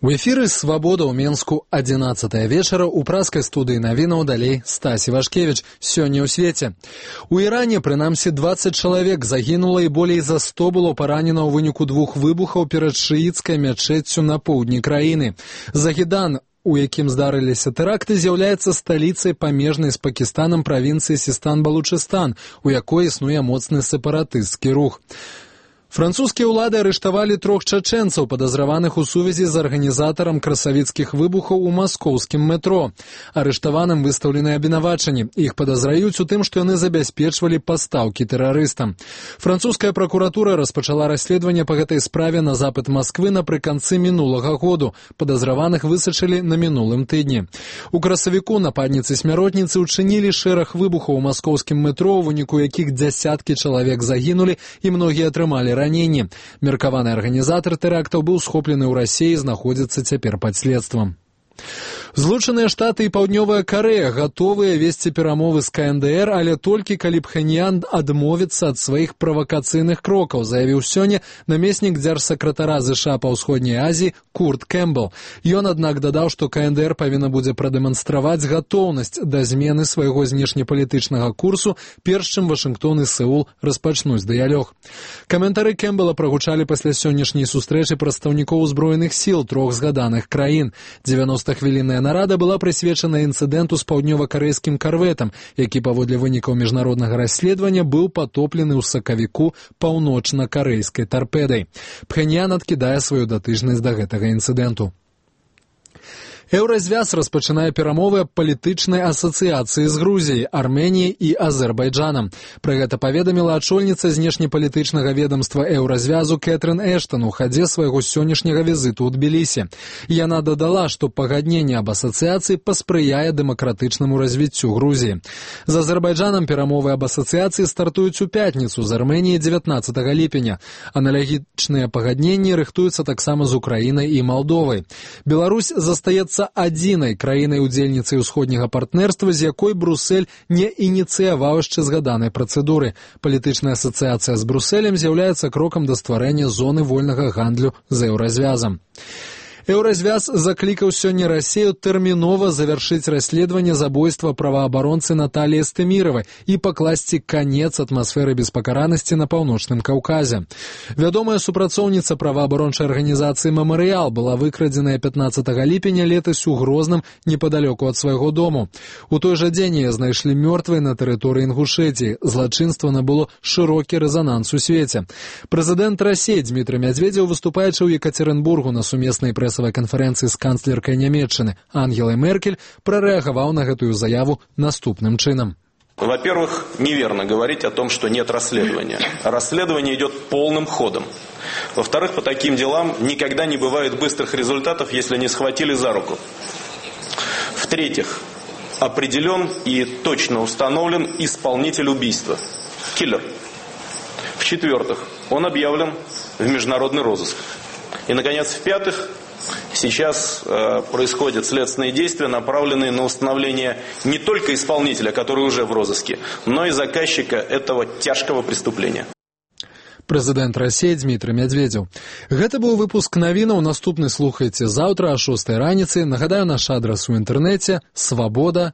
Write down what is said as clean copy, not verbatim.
У эфіры «Свабода» ў Менску 11 вечара ў праскай студыі навінаў далей Стась Івашкевіч. Сёння ў свеце. У Іране, прынамсі, 20 чалавек загінула і болей за 100 было паранена ў выніку двух выбухаў перад шыіцкай мячэццю на поўдні краіны. Загідан, у якім здарыліся тэракты, з'яўляецца сталіцай памежнай з Пакістанам правінцыі Сістан-Балучыстан, у якой існуе моцны сепаратысцкі рух. Французскія ўлады арыштавалі 3 чачэнцаў, падазраваных у сувязі з арганізатарам красавіцкіх выбухаў у маскоўскім метро. Арыштаваным выстаўлены абвінавачанні. Іх падазраюць у тым, што яны забяспечвалі пастаўкі тэрарыстам. Французская пракуратура распачала расследаванне па гэтай справе на запыт Масквы напрыканцы мінулага году. Падазраваных высачылі на мінулым тыдні. У красавіку нападніцы-смяротніцы учынілі шэраг выбухаў у маскоўскім метро, у выніку якіх дзясяткі чалавек загінулі і многія атрымалі раненні. Меркаваны арганізатар тэрактаў быў схоплены ў Расіі і знаходзіцца цяпер пад следствам. Злучаныя Штаты і Паўднёвая Карэя гатовыя весці перамовы з КНДР, але толькі калі Пхеньян адмовіцца ад сваіх правакацыйных крокаў, заявіў сёння намеснік дзяржсакратара ЗША па ўсходняй Азіі Курт Кэмпбелл. Ён, аднак, дадаў, што КНДР павінна будзе прадэманстраваць гатоўнасць да змены свайго знешнепалітычнага курсу, перш чым Вашынгтон і Сеул распачнуць дыялог. Каментары Кэмпбелла прагучалі пасля сённяшняй сустрэчы прадстаўнікоў узброеных сіл 3 згаданых краін. 90-хвілінная нарада была прысвечана інцыдэнту з паўднёва-карэйскім карветам, які паводле вынікаў міжнароднага расследавання быў патоплены ў сакавіку паўночна-карэйскай тарпедай. Пхеньян адкідае сваю датычнасць да гэтага інцыдэнту. Еўразвяз распачынае перамовы аб палітычнай асацыяцыі з Грузіяй, Арменіяй і Азербайджанам. Пра гэта паведаміла ачольніца знешнепалітычнага ведамства Еўразвязу Кэтрын Эштан у хадзе свайго сённяшняга візіту ў Тбілісі. Яна дадала, што пагадненне аб асацыяцыі паспрыяе дэмакратычнаму развіццю Грузіі. З Азербайджанам перамовы аб асацыяцыі стартуюць у пятніцу, з Арменіяй 19 ліпеня. Аналагічныя пагадненні рыхтуюцца таксама з Украінай і Малдовай. Беларусь застаецца адзінай краінай-удзельніцай усходняга партнерства, з якой Брусэль не ініцыяваў яшчэ згаданай працэдуры. Палітычная асацыяцыя з Брусэлем з'яўляецца крокам да стварэння зоны вольнага гандлю з Еўразвязам. Еўразвяз заклікаў сёння Расію тэрмінова завяршыць расследаванне забойства праваабаронцы Наталіі Стэміравай і пакласці канец атмасферы беспакаранасці на паўночным Каўказе. Вядомая супрацоўніца праваабарончай арганізацыі «Мемарыял» была выкрадзеная 15 ліпеня летась у Грозным непадалёку ад свайго дому. У той жа дзень яе знайшлі мёртвай на тэрыторыі Інгушэтіі. Злачынства набыло шырокі рэзананс у свеце. Прэзідэнт Расіі Дмітрый Мядзведзеў, выступаючы ў Екацерынбургу на сумеснай канферэнцыі з канцлеркай Нямецчыны Ангелай Меркель, прарэагаваў на гэтую заяву наступным чынам. Во-первых, неверно говорить о том, что нет расследования. Расследование идет полным ходом. Во-вторых, по таким делам никогда не бывает быстрых результатов, если не схватили за руку. В-третьих, определен и точно установлен исполнитель убийства. Киллер. В-четвертых, он объявлен в международный розыск. И, наконец, в-пятых, сейчас происходят следственные действия, направленные на установление не только исполнителя, который уже в розыске, но и заказчика этого тяжкого преступления. Прэзідэнт Расіі Дмітрый Мядзведзеў. Гэта быў выпуск навінаў. Наступны слухайце заўтра о 6 раніцы. Нагадаю, наш адрас у інтэрнэце свабода.